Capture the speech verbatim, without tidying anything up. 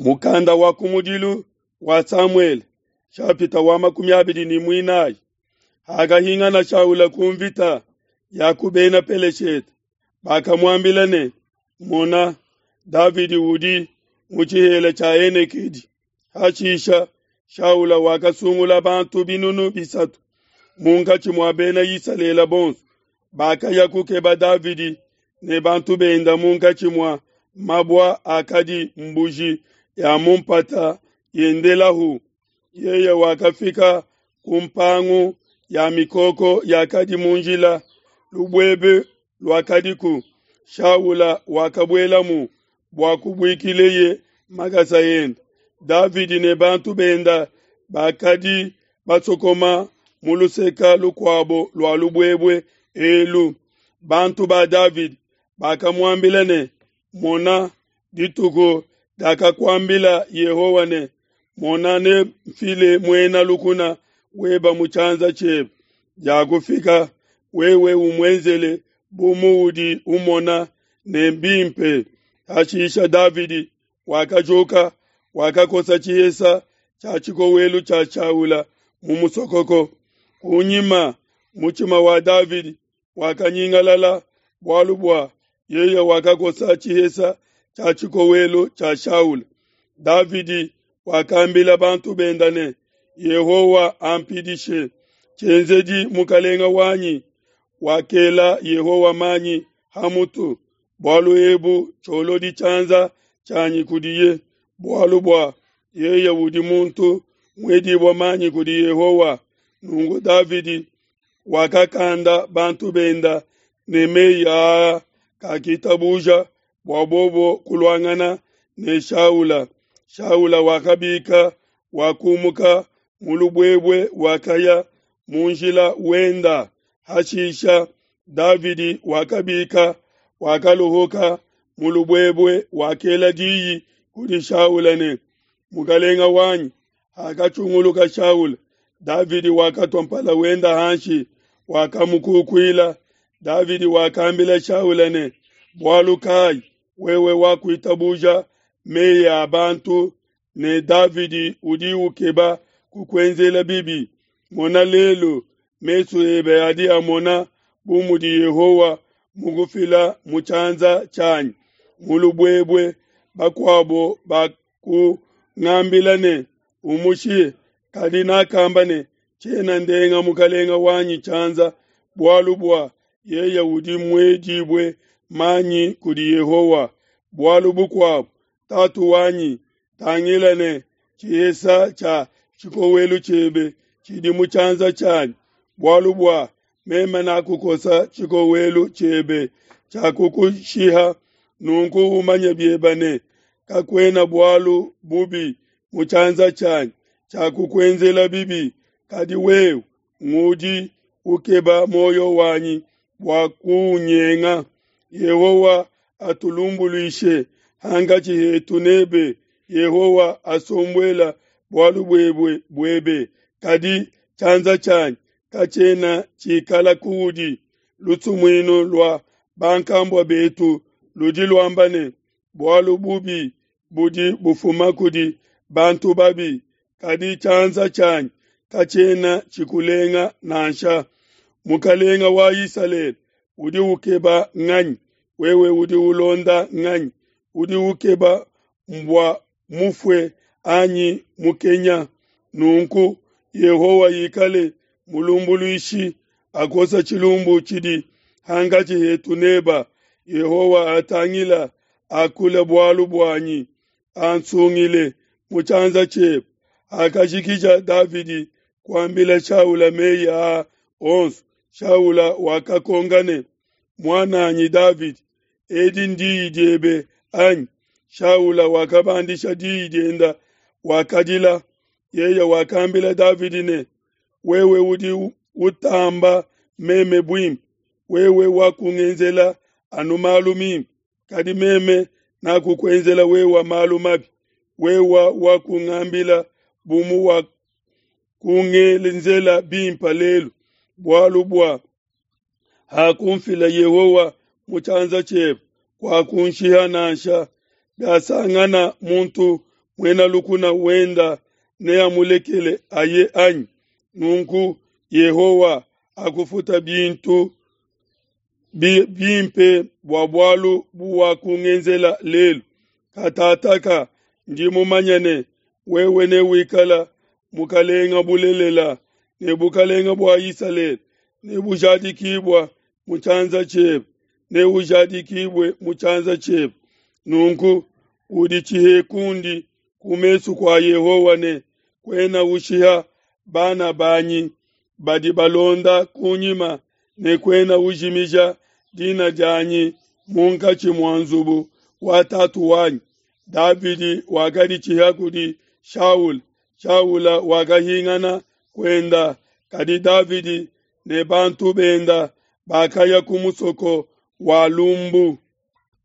Mukanda wa kumudilu wa Samuele shapita wa makumi abidi ne muinayi. Hakahingana Shaula ku mvita ya ku Bena Peleshete, bakamuambila ne, Mona, Davidi udi mu tshihela tshia Enekedi. Hashisha Shaula wakasungula bantu binunu bisatu munkatshi mua Bena Isalele bonso, bakaya kukeba Davidi ne bantu benda munkatshi mua mabua akadi mbuji ya mu mpata yendelahu. Yeye wakafika ku mpangu ya mikoko yakadi mu njila, lubuebue luakadiku. Shaula wakabuelamu bua kubuikileye makasa ende. Davidi ne bantu benda bakadi basokoma mu luseke lukuabo lua lubuebue elu. Bantu ba Davidi bakamuambila ne, Mona, dituku diakakuambila Yehowa ne, Mona, nemfile muena lukuna webe mu tshianza tshiebe, diakufika, wewe umuenzele bu muudi umona ne mbimpe. Hashisha Davidi wakajuka, wakakosa tshihesa tshia tshikowelu tshia Shaula mu musokoko. Kunyima mutshima wa Davidi wakanyingalala bualu bua yeye wakakosa tshihesa tshia tshikowelu tshia Shaula. Davidi wakambila bantu benda ne, Yehowa ampidishe, tshienzedi mukelenge wanyi wakela Yehowa manyi ha mutu, bualu ebu tshiolodi tshianza tshianyi kudiye, bualu bua yeye udi muntu muedibue manyi kudi Yehowa. Nunku Davidi wakakanda bantu benda ne meyi aa, kakitabuja bua bobo kuluangana ne Shaula. Shaula wakabika, wakumuka mu lubuebue, wakaya mu njila wenda. Hashisha Davidi wakabika, wakaluhuka mu lubuebue, wakela diyi kudi Shaula ne, Mukelenge wanyi. Hakatshunguluka Shaula, Davidi wakatua mpala wenda hanshi, wakamukukuila. Davidi wakambila Shaula ne, Bualu kai wewe wakuitabuja meyi a bantu ne Davidi udi ukeba kukuenzela bibi? Mona lelu mesu ebe adi amona bu mudi Yehowa mukufila mu tshianza tshianyi mu lubuebue. Bakuabo bakungambila ne, Umushiye, kadi nakamba ne, Tshiena ndenga mukelenge wanyi tshianza, bualu bua yeye udi muedibue manyi kudi Yehowa. Bualu bukuabo, tatu wanyi, tangila ne tshihesa tshia tshikowelu tshiebe tshidi mu tshianza tshianyi, bualu bua meme nakukosa tshikowelu tshiebe tshiakukushiha. Nunku umanye biebe ne, kakuena bualu bubi mu tshianza tshianyi tshiakukuenzela bibi, kadi wewe ngudi ukeba muoyo wanyi bua kuunyenga. Yehowa atulumbuluishe hankatshi hetu nebe, Yehowa asombuela bualu buebe buebe, kadi tshianza tshianyi katshiena tshikala kuudi. Lusumuinu lua bankambua betu ludi luamba ne, Bualu bubi budi bufuma kudi bantu babi, kadi tshianza tshianyi katshiena tshikulenga nansha. Mukelenge wa Isalele udi ukeba nganyi? Wewe udi ulonda nganyi? Udi ukeba mbua mufue anyi mukenya? Nunku Yehowa ikale mulumbuluishi, akosa tshilumbu tshidi hankatshi hetu neba. Yehowa atangila akule bualu buanyi, ansungile mu tshianza tshiebe. Hakajikija Davidi kuambila Shaula meyi aa onso, Shaula wakakonka ne, Muan'anyi Davidi, edi ndiyi diebe anyi? Shaula wakabandisha diyi dienda, wakadila. Yeye wakambila Davidi ne, Wewe udi utamba meme buimpe, wewe wakungenzela anu malu mimpe, kadi meme nakukuenzela wewe malu mabi. Wewe wakungambila bu muwakungenzela bimpe lelu, bualu bua hakunfila Yehowa mu tshianza tshiebe, kuakunshiha nansha. Biasangana muntu Muena lukuna wenda neamulekele aye anyi? Nunku Yehowa akufuta bintu bimpe bua bualu buwakungenzela lelu. Katataka ndi mumanye ne, wewe newikala mukalenga bulelela, ne bukalenga bua Isalele nebujadikibua mu tshianza tshiebe, neujadikibue mu tshianza tshiebe. Nunku uditshihe kundi ku mesu kua Yehowa ne kuena ushiha bana banyi badi balonda kunyima ne kuena ujimija dina dianyi munkatshi mua nzubu wa tatu wanyi. Davidi wakaditshiha kudi Shaula. Shaula wakahingana kuenda, kadi Davidi ne bantu benda bakaya ku musoko wa lumbu.